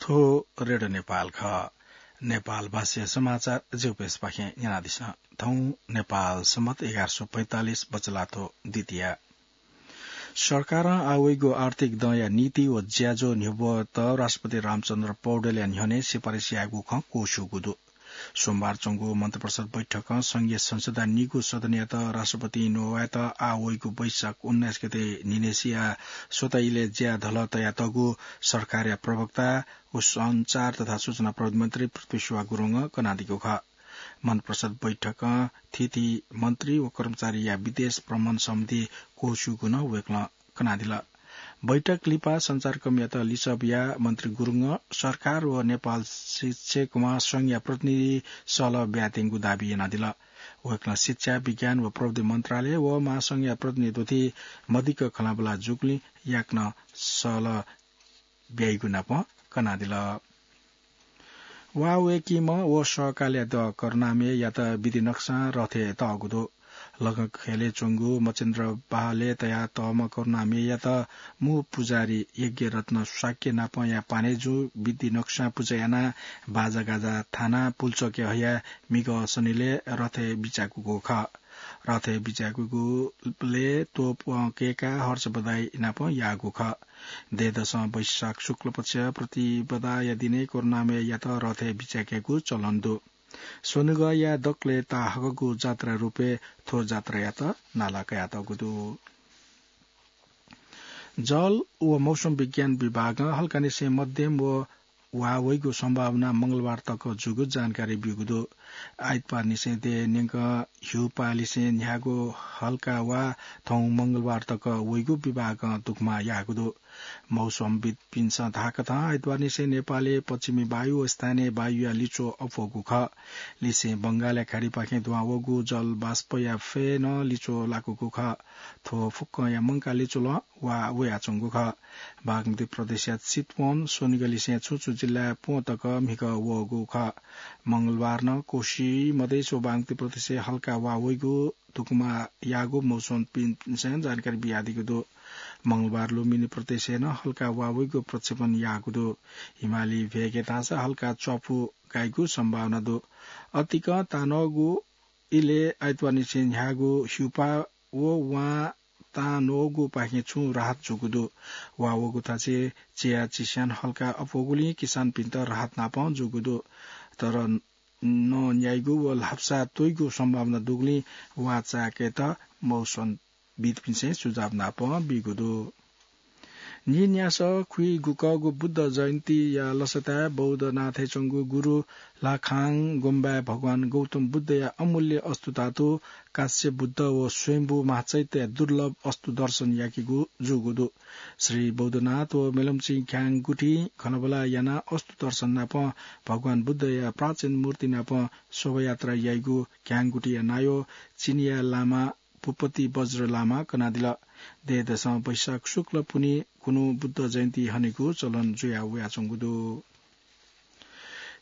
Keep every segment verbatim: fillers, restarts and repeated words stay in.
थ्व रेडियो नेपाल खः। नेपाल भाषाया समाचार ज्यूपिन्सपाखें न्यनादिसँ। थौं नेपाल सम्बत एघार सय पैंतालिस बचलाथ्व द्वितीया। सरकारं आः वइगु आर्थिक दँया नीति व ज्याझ्वः न्ह्यब्वयेत राष्ट्रपति रामचन्द्र पौडेलया न्ह्यःने सिफारिस याःगु खँ क्वछुगु दु। सोमबार च्वंगु मन्त्रिपरिषद बैठकं संघीय संसदया निगू सदनयात राष्ट्रपतिं न्ववायेत आः वइगु वैशाख उन्नाइस गते न्हिनेसिया स्वता इलय् ज्या धलः तयातःगु सरकारया प्रवक्ता व सञ्चार तथा सूचना प्रविधि मन्त्री पृथ्वी सुवाह गुरुङं कनादीगु खः। मन्त्रिपरिषद बैठकं थीथी मन्त्री व कर्मचारीया विदेश भ्रमण सम्बन्धी क्वछुगु नं वय्कलं कनादिल। बैठक लिपा सञ्चारकर्मीयात लिसः बियाः मन्त्री गुरुङं सरकार व नेपाल शिक्षक महासंघया प्रतिनिधि सहलह ब्यायेत्यंगु दाबी यानादिल। वय्कलं शिक्षा, विज्ञान व प्रविधि मन्त्रालय व महासंघया प्रतिनिधि दुथि मदिक्क खँल्हाबल्हा जूगुलिं याकनं सहलह ब्याइगु नापं कनादिल। वा वय्कीम्ह व सहकालया द्यः करुणामययात विधि नक्सां रथय् तःगु दु। लखंखय्‌लय् च्वंगु मचेन्द्र बहालय् तयातःम्ह करुणामययात मू पुजारी यज्ञरत्न शाक्य नापंया पानेजु विधि नक्सां पुजा यानाः बाजागाजा थानाः पुल्चोकय् हयाः म्हिगः सनिलय् रथय् बिज्याकूगु खः। रथय् बिज्याकूगुलय् तोपं कय्काः हर्ष बधाई नापं याःगु खः। दँय्‌दसं वैशाख शुक्ल पक्ष प्रतिपदाया दिनय् करुणामययात रथय् बिज्याकेगु चलन दु। स्वनिगःया दकलय् ताःहाकःगु जात्रा रूपय् थ्व जात्रायात नाला कयातःगु दु। जल व मौसम विज्ञान विभागं हल्कानिसें मध्यम व वा वइगु सम्भावना मंगलबार तक जूगु जानकारी ब्यूगु दु। आइतबारनिसें देय् न्यंकं ह्युपालिसें न्ह्याःगु हल्का वा थौं मंगलबार तक वइगु विभागं दुग्मा याःगु दु। मौसमविद्‌पिन्सं धाःकथं आइतबारनिसें नेपालय् पश्चिमी वायु व स्थानीय वायुया लिच्वः अप्वःगु खः। लिसें बंगालया खाडीपाखें दुहां वःगु जल बाष्पया फय् नं लिच्वः लाकूगु खः। थ्व फुक्कंया मंकाः लिच्वलं वा वयाच्वंगु खः। बागमती प्रदेशया चितवन, स्वनिगःलिसें छुं छुं जिल्लाय् प्वँ तक म्हिगः वःगु खः। मंगलबार नं कोशी, मधेस व बागमती प्रदेशय् हल्का वा वइगु दुग्मा याःगु मौसमविद्‌पिन्सं जानकारी बियादीगु दु। मंगलबार लुम्बिनी प्रदेशय् नं हल्का वा वइगु प्रक्षेपण याःगु दु। हिमाली भेगय् धाःसा हल्का च्वापु गाइगु सम्भावना दु। अतिकं तांन्वःगु इलय् आइतबारनिसें न्ह्याःगु ह्युपा व वां तांन्वःगुपाखें छुं राहत जूगु दु। वा वःगु थासय् चिया चिस्यान हल्का अप्वःगुलिं किसानपिन्त राहत नापं जूगु दु। तर नँ न्याइगु व ल्हापसा त्वइगु सम्भावना दुगुलिं वा चाय्‌केत मौसमविद्‌पिन्सं सुझाव नापं बीगु दु। नीन्यासः खुइगुकःगु बुद्ध जयन्तीया लसताय् बौद्धनाथय् च्वंगु गुरु ल्हाखांग गुम्बाय् भगवान गौतम बुद्धया अमूल्य अस्तु धातु काश्यप बुद्ध व स्वयम्भू महाचैत्यया दुर्लभ अस्तु दर्शन याकेगु जूगु दु। श्री बौद्धनाथ व मेलम्ची घ्यां गुथिं खँल्हाबल्हा यानाः अस्तु दर्शन नापं भगवान बुद्धया प्राचीन मूर्ति नापं शोभायात्रा याइगु घ्यां गुथिया नायः चिनियाँ लामा भूपति वज्र लामां कनादिल। दँय्‌दसं वैशाख शुक्ल पुन्हि खुन्हु बुद्ध जयन्ती हनेगु चलन जुया वयाच्वंगु दु।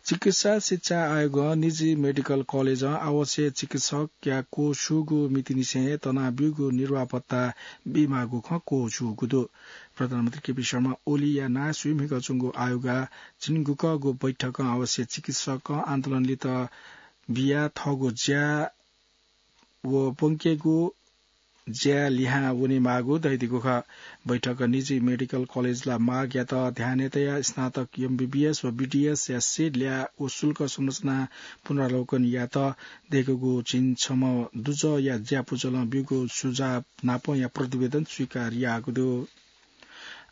चिकित्सा शिक्षा आयोगं निजी मेडिकल कलेजं आवश्यक चिकित्सकया क्वछुगु मितिनिसें तनाब्यूगु निर्वाह भत्ता बीमाःगु खँ क्वछुगु दु। प्रधानमन्त्री केपी शर्मा ओलीया नायः स्वीम्हिगः च्वंगु आयोगया झिंगुकःगु बैठकं आवश्यक चिकित्सकं आन्दोलनलित बियाः थःगु ज्या व ब्वंकेगु ज्या लिहां वनेमाःगु धयादीगु खः। बैठकं निजी मेडिकल कलेजया मागयात ध्यानय् तयाः स्नातक एमबीबीएस व बीडीएसया सिट ल्याः व शुल्क संरचना पुनरावलोकन यायेत दय्‌कूगु झिंछम्ह दुजःया ज्यापुचलं ब्यूगु सुझाव नापंया प्रतिवेदन स्वीकार याःगु दु।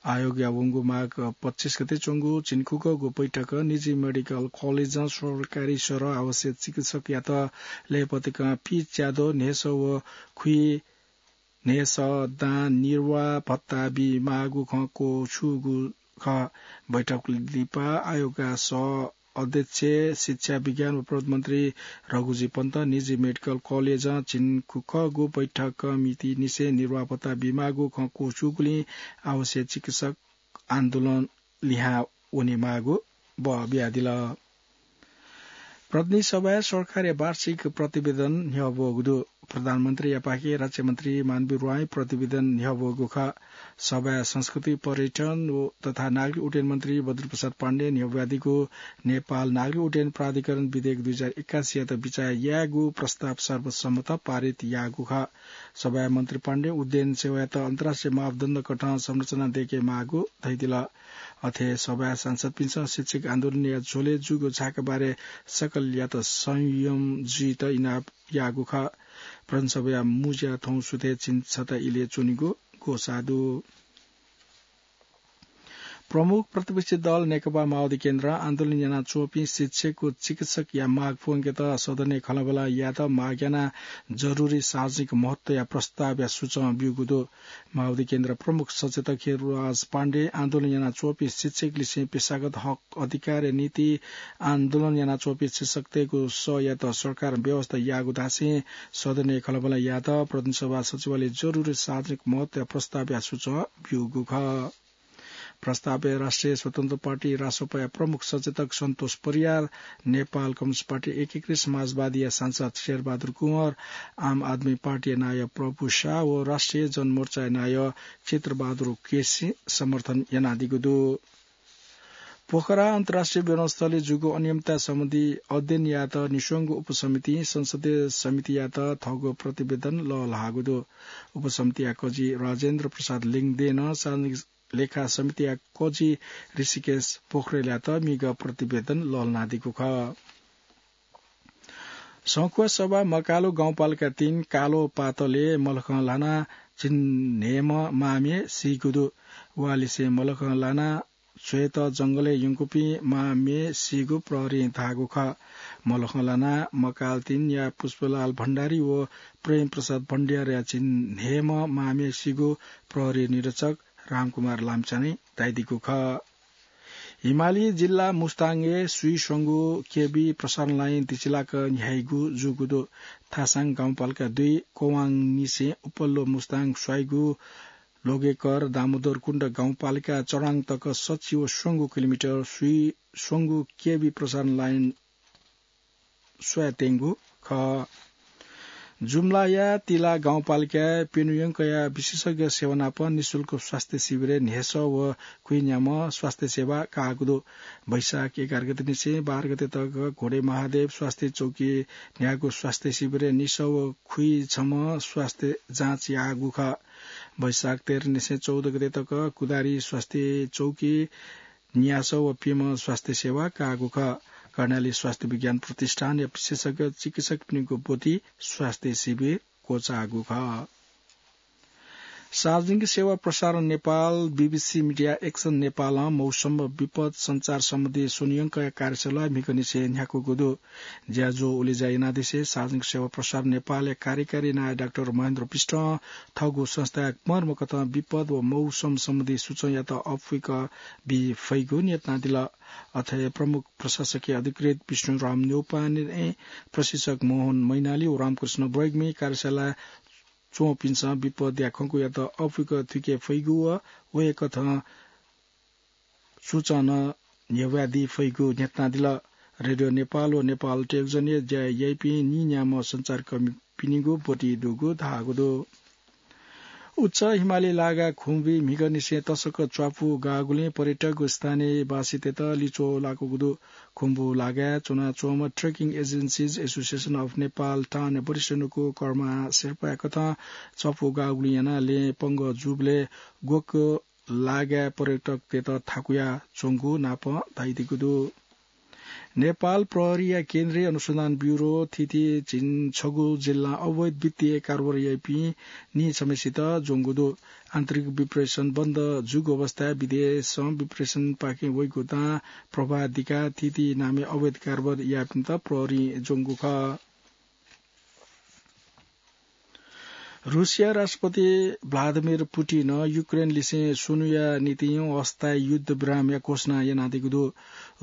आयोगया वंगु माघ पच्चिस गते च्वंगु झिंगुकःगु बैठकं निजी मेडिकल कलेजं सरकारी सरह आवश्यक चिकित्सकयात लय्‌पतिकं फी च्याद्वः न्हय्‌सः व खुइन्हय्‌सः दां निर्वाह भत्ता बीमाःगु खँ क्वछुगु खः। बैठक लिपा आयोगया सह अध्यक्ष शिक्षा, विज्ञान व प्रविधि मन्त्री रघुजी पन्तं निजी मेडिकल कलेजं झिंगुकःगु बैठक मितिनिसें निर्वाह भत्ता बीमाःगु खँ क्वछुगुलिं आवश्यक चिकित्सक आन्दोलन लिहां वनेमाःगु बः बियादिल। प्रतिनिधि सभाय् सरकारया वार्षिक प्रतिवेदन न्ह्यब्वःगु दु। प्रधानमन्त्रीयापाखे राज्यमन्त्री मानवीर राई प्रतिवेदन न्ह्यब्वःगु खः। सभाय् संस्कृति, पर्यटन व तथा नागरिक उड्डयन मन्त्री बद्रीप्रसाद पाण्डे न्ह्यब्वयादीगु नेपाल नागरिक उड्डयन प्राधिकरण विधेयक दुई हजार एक्कासीयात बिचाः यायेगु प्रस्ताव सर्वसम्मत पारित याःगु खः। सभाय् मन्त्री पाण्डे उड्डयन सेवायात अन्तर्राष्ट्रिय मापदण्ड कथं संरचना दयेके माःगु धयादिल। अथे सभाय् सांसदपिन्सं शिक्षक आन्दोलनया झ्वलय् जूगु झाःका बारे सकलयात संयम जुइत इनाप याःगु खः। प्रदेशसभाया मुँज्या थौं सुथय् झिंछता इलय् च्वनीगु ग्वसाः दु। प्रमुख प्रतिपक्षी दल नेकपा माओवादी केन्द्रं आन्दोलन यानाच्वंपिं शिक्षक व चिकित्सकया माग प्वंकेत सदनय् खँल्हाबल्हा यायेत माग यानाः जरुरी सार्वजनिक महत्वया प्रस्तावया सुचं ब्यूगु दु। माओवादी केन्द्र प्रमुख सचेतक हिरराज पाण्डे आन्दोलन यानाच्वंपिं शिक्षकलिसें पेशागत हक अधिकारया निंतिं आन्दोलन यानाच्वंपिं शिक्षकतय्गु सःयात सरकारं व्यवस्था याःगु धासें सदनय् खँल्हाबल्हा यायेत प्रदेशसभा सचिवालयं जरुरी सार्वजनिक महत्वया प्रस्तावया सुचं ब्यूगु खः। प्रस्तावय् राष्ट्रिय स्वतन्त्र पार्टी रासोपाया प्रमुख सचेतक सन्तोष परियार, नेपाल कम्युनिस्ट पार्टी एकीकृत समाजवादीया सांसद शेरबहादुर कुँवर, आम आदमी पार्टीया नायः प्रभु शाह व राष्ट्रिय जनमोर्चाया नायः चित्रबहादुर उक्किसिं समर्थन यानादीगु दु। पोखरा अन्तर्राष्ट्रिय विमानस्थलय् जूगु अनियमितता सम्बन्धी अध्ययन यायेत निस्वंगु उपसमितिं संसदीय समितियात थःगु प्रतिवेदन लःल्हाःगु दु। उपसमितिया कजि राजेन्द्र प्रसाद लिङदेनं सार्वजनिक लेखा समितिया कजि ऋषिकेश पोखरेलयात म्हिगः प्रतिवेदन लःल्हानादीगु खः। संखुवासभा मकालु गाउँपालिका तीन कालो पातलय् मलखं ल्हानाः झिंन्हय्म्ह मांम्ह सीगु दु। वा लिसें मलखं ल्हानाः छ्वयेत जंगलय् यंकूपिं मांम्ह सीगु प्रहरीं धाःगु खः। मलखं ल्हानाः मकाल तीनया पुष्पलाल भण्डारी व प्रेम प्रसाद भण्डारीया झिंन्हय्म्ह मांम्ह सीगु प्रहरी निरीक्षक रामकुमार लामिछानें धयादीगु खः। हिमाली जिल्ला मुस्ताङय् स्वीस्वंगु केबी प्रसारण लाइन दिचिलाक न्ह्याइगु जूगु दु। थासाङ गाउँपालिका दुई कोवाङनिसें उपल्लो मुस्ताङ स्वाइगु लोगेकर दामोदरकुण्ड गाउँपालिका चराङ तक सच्छि व स्वंगू किलोमिटर स्वीस्वंगु केबी प्रसारण लाइन स्वयात्यंगु खः। जुम्लाया तिला गाउँपालिकाय् प्यन्हु यंकया विशेषज्ञ सेवा नाप निशुल्क स्वास्थ्य शिविरय् न्हय्सः व खुइन्याम्ह स्वास्थ्य सेवा काःगु दु। वैशाख एघार गतेनिसें बाह्र गते तक घोडे महादेव स्वास्थ्य चौकी न्ह्याःगु स्वास्थ्य शिविरय् निसः व खुइछम्ह स्वास्थ्य जाँच याःगु खः। वैशाख तेह्रनिसें चौध गते तक कुदारी स्वास्थ्य चौकी न्यासः व प्यम्ह स्वास्थ्य सेवा काःगु खः। कर्णाली स्वास्थ्य विज्ञान प्रतिष्ठानया विशेषज्ञ चिकित्सकपिनिगु ब्वति स्वास्थ्य शिविर क्वचाःगु खः। सार्वजनिक सेवा प्रसारण नेपाल, बीबीसी मिडिया एक्सन नेपालं मौसम विपद सञ्चार सम्बन्धी स्वनियंकया कार्यशाला म्हिगःनिसें न्ह्याकूगु दु। ज्याझ्वः उलेज्या यानादिसें सार्वजनिक सेवा प्रसारण नेपालया कार्यकारी नायः डाक्टर महेन्द्र विष्टं थःगु संस्थाय् मर्मकथं विपद व मौसम सम्बन्धी सुचंयात अप्वय्क बी फइगु न्यनादिल। अथे प्रमुख प्रशासकीय अधिकृत विष्णुराम न्यौपाने, प्रशिक्षक मोहन मैनाली व रामकृष्ण बैग्मि कार्यशालाय् च्वंपिन्सं विपदया खंकुयात अप्वय्क थुइके फइगु व वय्कथं सुचं नं न्ह्यब्वयादी फइगु न्ह्यथनादिल। रेडियो नेपाल व नेपाल टेलिभिजनय् ज्या याइपिं नीन्याम्ह सञ्चारकर्मीपिनिगु ब्वति दुगु धाःगु दु। उच्च हिमालय लागाय् खुम्बुइ म्हिगःनिसें तसकं च्वापु गाःगुलिं पर्यटक व स्थानीयवासीतय्त लिच्वः लाकूगु दु। खुम्बु लागाय् च्वनाच्वंम्ह Trekking Agencies Association of Nepal टानया वरिष्ठ नुगः कर्मा शेर्पाया कथं च्वापु गाःगुलिं यानाः लँय् पंगः जूबलय् ग्वक्व लागाय् पर्यटकतय्त थाकुया च्वंगु नापं धयादीगु दु। नेपाल प्रहरीया केन्द्रीय अनुसन्धान ब्युरो थीथी झिंछगू जिल्लां अवैध वित्तीय कारोबार याइपिं नीछम्हसित ज्वंगु दु। आन्तरिक विप्रेषण बन्द जूगु अवस्थाय् विदेशं विप्रेषणपाखें वइगु दां प्रवाह दिकाः थीथी नामय् अवैध कारोबार याःपिन्त प्रहरीं ज्वंगु खः। रुसिया राष्ट्रपति भ्लादिमिर पुटिनं युक्रेनलिसें स्वन्हुया निंतिं अस्थायी युद्धविरामया घोषणा यानादीगु दु।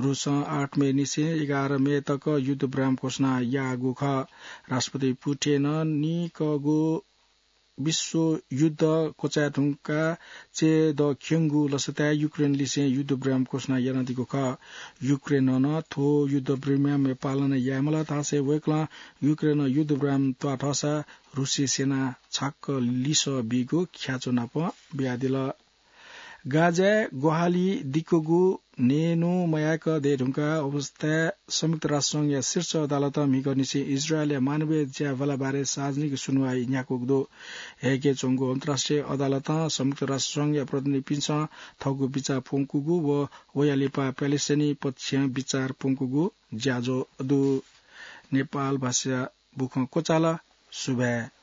रुसं आठ मे निसें एघार मे तक युद्धविराम घोषणा याःगु खः। राष्ट्रपति पुटिनं निकःगु विश्वयुद्ध क्वचाय् धुंकाः चय्दँ क्यंगु लसताय् युक्रेनलिसें युद्धविराम घोषणा यानादीगु खः। युक्रेनं नं थ्व युद्धविरामया पालना यायेमाल धासें वय्कलं युक्रेनं युद्धविराम त्वाःथःसा रुसी सेनां छाक्क लिसः बीगु ख्याच्वः नाप बियादिल। गाजाय् ग्वाहालि दिकूगु न्यने मयाक दयेधुंकाः अवस्थाय् संयुक्त राष्ट्रसंघया शीर्ष अदालतं म्हिगःनिसें इजरायलया मानवीय ज्याभाला बारे सार्वजनिक सुनुवाइ न्ह्याकूगु दु। हेगय् च्वंगु अन्तर्राष्ट्रिय अदालतं संयुक्त राष्ट्रसंघया प्रतिनिधिपिन्सं थःगु बिचाः प्वंकूगु व वया लिपा प्यालेस्टाइनी पक्षं बिचाः प्वंकूगु ज्याझ्वः दु। नेपाल भाषा बुखँ क्वचाल। सुभाय्।